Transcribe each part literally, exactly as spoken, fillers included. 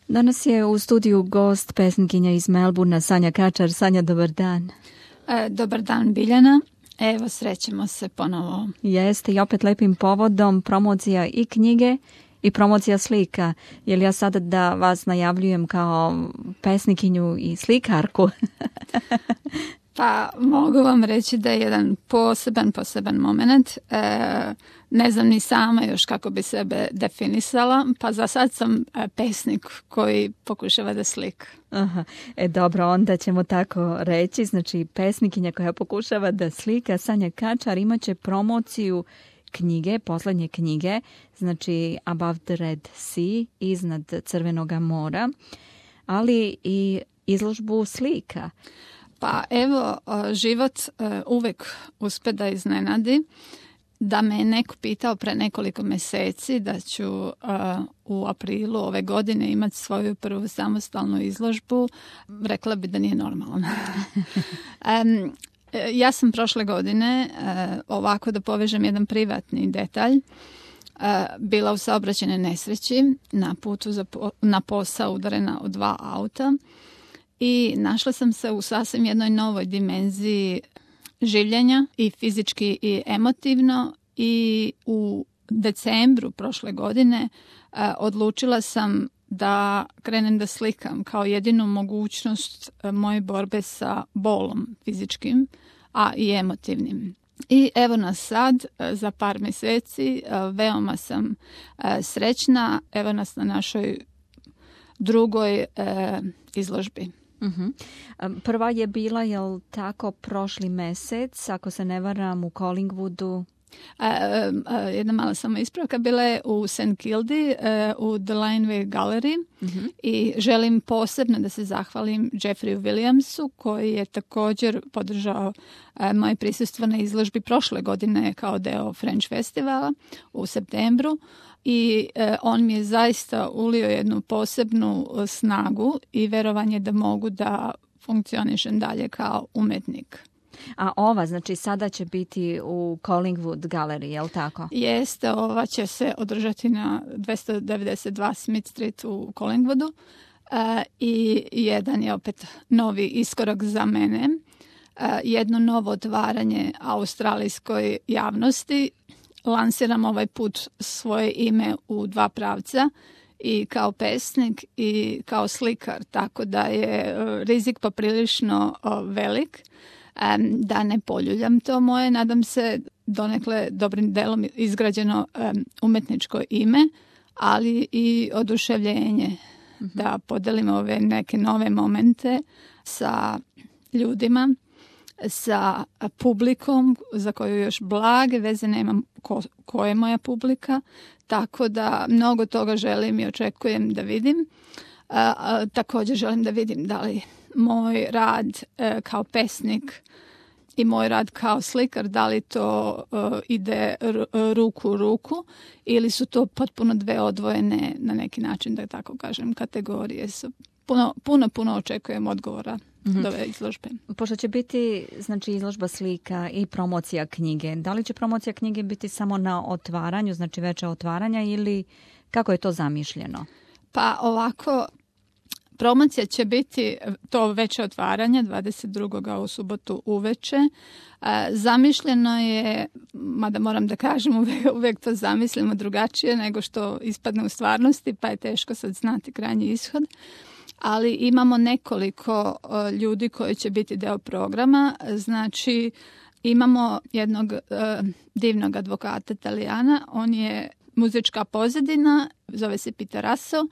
Danas je u studiju gost pesnikinja iz Melbourna, Sanja Kačar. Sanja, dobar dan. E, dobar dan, Biljana. Evo, srećemo se ponovo. Jeste, i opet lepim povodom, promocija i knjige i promocija slika. Je li ja sada da vas najavljujem kao pesnikinju i slikarku? Pa mogu vam reći da je jedan poseban, poseban moment. E, ne znam ni sama još kako bi sebe definisala, pa za sad sam pesnik koji pokušava da slika. Aha, e dobro, onda ćemo tako reći. Znači, pesnikinja koja pokušava da slika, Sanja Kačar, imat će promociju knjige, poslednje knjige, znači Above the Red Sea, iznad Crvenog mora, ali i izložbu slika. Pa evo, život uvek uspe da iznenadi. Da me je neko pitao pre nekoliko meseci da ću uh, u aprilu ove godine imati svoju prvu samostalnu izložbu, rekla bi da nije normalno. um, ja sam prošle godine, uh, ovako da povežem jedan privatni detalj, uh, bila u saobraćajnoj nesreći, na putu za po, na posao udarena od dva auta i našla sam se u sasvim jednoj novoj dimenziji življenja i fizički i emotivno i u decembru prošle godine uh, odlučila sam da krenem da slikam kao jedinu mogućnost uh, moje borbe sa bolom fizičkim, a i emotivnim. I evo nas sad, uh, za par meseci, uh, veoma sam uh, srećna, evo nas na našoj drugoj uh, izložbi. Uh-huh. Prva je bila, jel tako, prošli mesec, ako se ne varam, u Collingwoodu? Uh, uh, jedna mala samo ispravka, bila je u Saint Kildi, uh, u The Lineway Gallery uh-huh. i želim posebno da se zahvalim Jeffreyu Williamsu koji je također podržao uh, moje prisustvo na izložbi prošle godine kao deo French Festivala u septembru. I e, on mi je zaista ulio jednu posebnu snagu i verovanje da mogu da funkcionišem dalje kao umetnik. A ova, znači sada će biti u Collingwood Gallery, je li tako? Jeste, ova će se održati na dvesta devedeset dva Smith Street u Collingwoodu e, i jedan je opet novi iskorak za mene, e, jedno novo otvaranje australijskoj javnosti. Lansiram ovaj put svoje ime u dva pravca i kao pesnik i kao slikar, tako da je rizik poprilično velik, da ne poljuljam to moje, nadam se donekle dobrim delom izgrađeno umetničko ime, ali i oduševljenje mm-hmm. da podelim ove neke nove momente sa ljudima, sa publikom za koju još blage veze nemam ko, ko je moja publika, tako da mnogo toga želim i očekujem da vidim. A, a, također želim da vidim da li moj rad a, kao pesnik i moj rad kao slikar, da li to a, ide r, ruku u ruku ili su to potpuno dve odvojene, na neki način da tako kažem, kategorije su. Puno, puno, puno očekujem odgovora mm-hmm. do ove izložbe. Pošto će biti, znači, izložba slika i promocija knjige, da li će promocija knjige biti samo na otvaranju, znači veća otvaranja, ili kako je to zamišljeno? Pa ovako, promocija će biti to veće otvaranje dvadeset drugog u subotu uveče. Zamišljeno je, mada moram da kažem, uvek, uvek to zamislimo drugačije nego što ispadne u stvarnosti, pa je teško sad znati krajnji ishod. Ali imamo nekoliko uh, ljudi koji će biti deo programa. Znači, imamo jednog uh, divnog advokata Italijana. On je muzička pozadina, zove se Peter Russell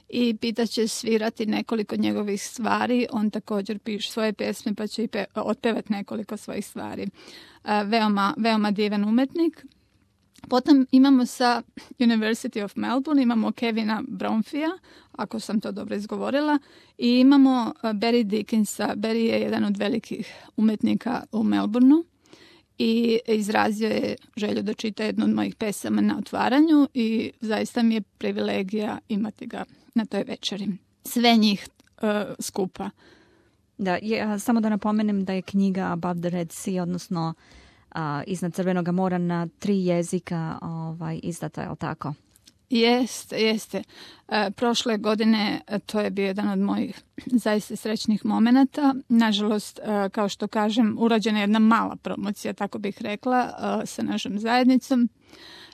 i Pita će svirati nekoliko njegovih stvari. On također piše svoje pjesme pa će i pe- otpevati nekoliko svojih stvari. Uh, veoma, veoma divan umetnik. Potom imamo sa University of Melbourne, imamo Kevina Bromfija, ako sam to dobro izgovorila, i imamo Barry Dickinsa. Barry je jedan od velikih umetnika u Melbourneu i izrazio je želju da čita jednu od mojih pesama na otvaranju i zaista mi je privilegija imati ga na toj večeri. Sve njih uh, skupa. Da, je, samo da napomenem da je knjiga Above the Red Sea, odnosno uh, iznad Crvenog mora, na tri jezika ovaj, izdata, je li tako? Jeste, jeste. E, prošle godine to je bio jedan od mojih zaista srećnih momenata. Nažalost, e, kao što kažem, urađena je jedna mala promocija, tako bih rekla, e, sa našom zajednicom.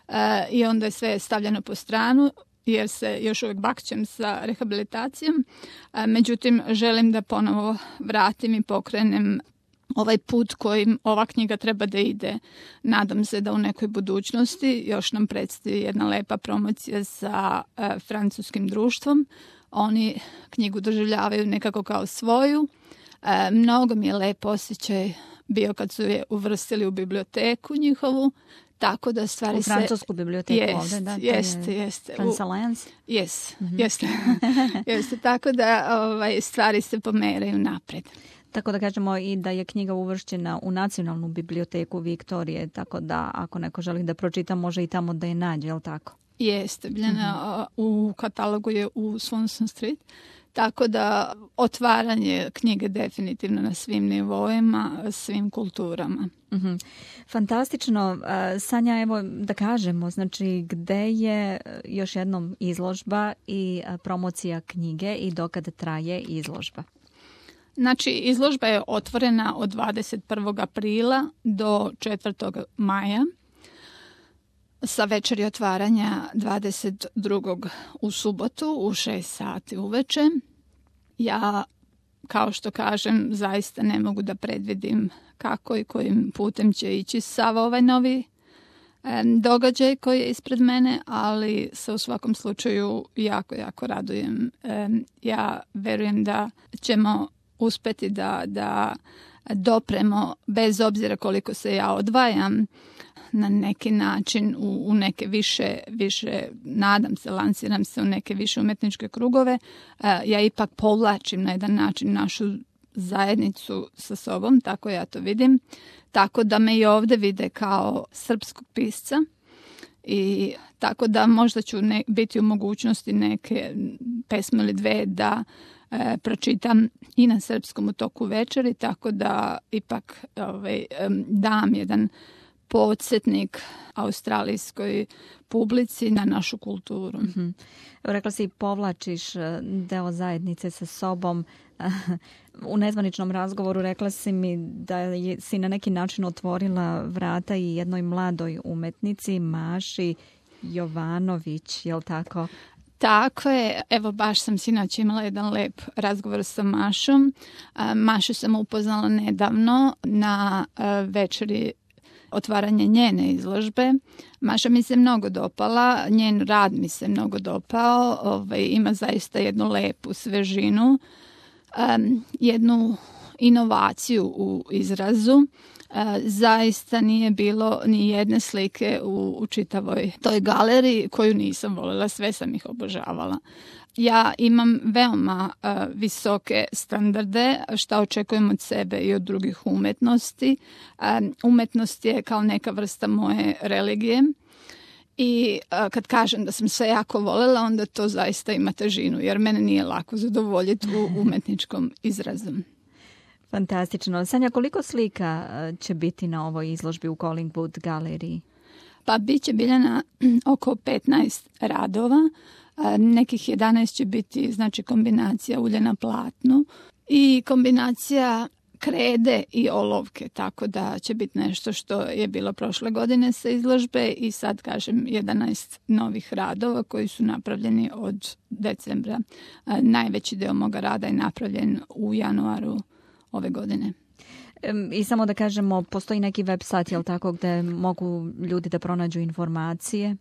E, I onda je sve stavljeno po stranu, jer se još uvijek bakćem sa rehabilitacijom. E, međutim, želim da ponovo vratim i pokrenem ovaj put kojim ova knjiga treba da ide. Nadam se da u nekoj budućnosti još nam predstoji jedna lepa promocija sa e, francuskim društvom. Oni knjigu doživljavaju nekako kao svoju. E, mnogo mi je lep osjećaj bio kad su je uvrstili u biblioteku njihovu. Tako da stvari u francusku biblioteku jest, ovdje, da? Jeste, jeste. France Alliance? Jes, mm-hmm. jeste. jeste. Tako da ovaj, stvari se pomeraju napred. Tako da kažemo i da je knjiga uvršćena u Nacionalnu biblioteku Viktorije, tako da ako neko želi da pročita, može i tamo da je nađe, je li tako? Jeste, Biljana, mm-hmm. u katalogu je u Swanson Street, tako da otvaranje knjige definitivno na svim nivoima, svim kulturama. Mm-hmm. Fantastično. Sanja, evo da kažemo, znači gde je još jednom izložba i promocija knjige i dokad traje izložba? Znači, izložba je otvorena od dvadeset prvog aprila do četvrtog maja sa večeri otvaranja dvadeset drugog u subotu u šest sati uveče. Ja, kao što kažem, zaista ne mogu da predvidim kako i kojim putem će ići sav ovaj novi e, događaj koji je ispred mene, ali se u svakom slučaju jako, jako radujem. E, ja verujem da ćemo uspeti da, da dopremo, bez obzira koliko se ja odvajam, na neki način u, u neke više, više, nadam se, lansiram se u neke više umetničke krugove. E, ja ipak povlačim na jedan način našu zajednicu sa sobom, tako ja to vidim. Tako da me i ovdje vide kao srpskog pisca i tako da možda ću ne, biti u mogućnosti neke pesme ili dve da e, pročitam i na srpskom u toku večeri, tako da ipak ovaj, dam jedan podsjetnik australijskoj publici na našu kulturu. Mm-hmm. Rekla si, povlačiš deo zajednice sa sobom. U nezvaničnom razgovoru rekla si mi da je, si na neki način otvorila vrata i jednoj mladoj umetnici, Maši Jovanović, je li tako? Tako je, evo baš sam sinoć imala jedan lep razgovor sa Mašom. Mašu sam upoznala nedavno na večeri otvaranje njene izložbe. Maša mi se mnogo dopala, njen rad mi se mnogo dopao, ovaj, ima zaista jednu lepu svežinu, um, jednu inovaciju u izrazu. Uh, zaista nije bilo ni jedne slike u, u čitavoj toj galeriji koju nisam voljela, sve sam ih obožavala. Ja imam veoma uh, visoke standarde šta očekujem od sebe i od drugih umetnosti. Um, umetnost je kao neka vrsta moje religije i uh, kad kažem da sam sve jako voljela, onda to zaista ima težinu, jer mene nije lako zadovoljiti u umetničkom izrazu. Fantastično. Sanja, koliko slika će biti na ovoj izložbi u Collingwood galeriji? Pa bit će, Biljana, oko petnaest radova. Nekih jedanaest će biti, znači, kombinacija ulja na platnu i kombinacija krede i olovke, tako da će biti nešto što je bilo prošle godine sa izložbe i sad, kažem, jedanaest novih radova koji su napravljeni od decembra. Najveći deo moga rada je napravljen u januaru ove godine. I samo da kažemo, postoji neki website, jel tako, gde mogu ljudi da pronađu informacije?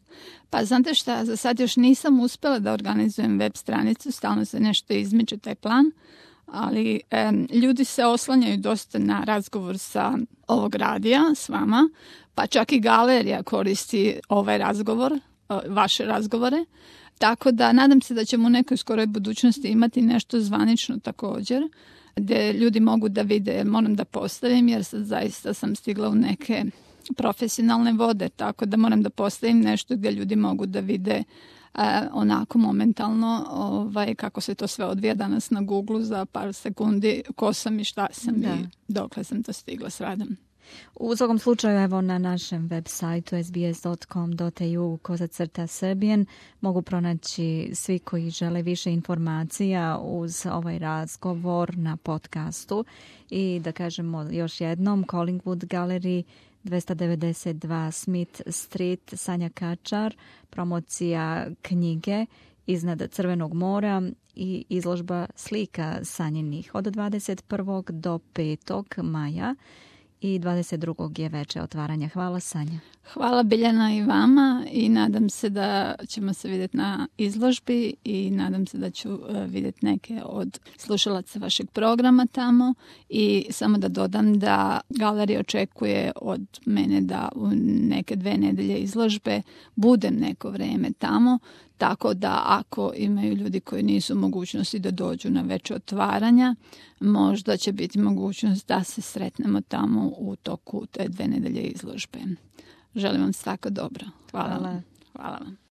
Pa znate šta, za sad još nisam uspela da organizujem web stranicu, stalno se nešto izmiče taj plan, ali e, ljudi se oslanjaju dosta na razgovor sa ovog radija s vama, pa čak i galerija koristi ovaj razgovor, vaše razgovore. Tako da nadam se da ćemo u nekoj skoroj budućnosti imati nešto zvanično također, gdje ljudi mogu da vide, moram da postavim, jer sad zaista sam stigla u neke profesionalne vode, tako da moram da postavim nešto gdje ljudi mogu da vide e, onako momentalno ovaj, kako se to sve odvija danas na Google za par sekundi, ko sam i šta sam da. I dokle sam to stigla s radom. U svakom slučaju, evo na našem web sajtu s b s dot com dot a u kozacrta Serbian mogu pronaći svi koji žele više informacija uz ovaj razgovor na podcastu. I da kažemo još jednom, Collingwood Gallery, dvesta devedeset dva Smith Street, Sanja Kačar, promocija knjige Iznad Crvenog mora i izložba slika Sanjinih od dvadeset prvog do petog maja i dvadeset drugog je veče otvaranja. Hvala, Sanja. Hvala Biljana i vama i nadam se da ćemo se vidjeti na izložbi i nadam se da ću vidjeti neke od slušalaca vašeg programa tamo i samo da dodam da galerija očekuje od mene da u neke dve nedelje izložbe budem neko vrijeme tamo, tako da ako imaju ljudi koji nisu u mogućnosti da dođu na veće otvaranja, možda će biti mogućnost da se sretnemo tamo u toku te dve nedelje izložbe. Želim vam svako dobro. Hvala, Hvala. vam. Hvala vam.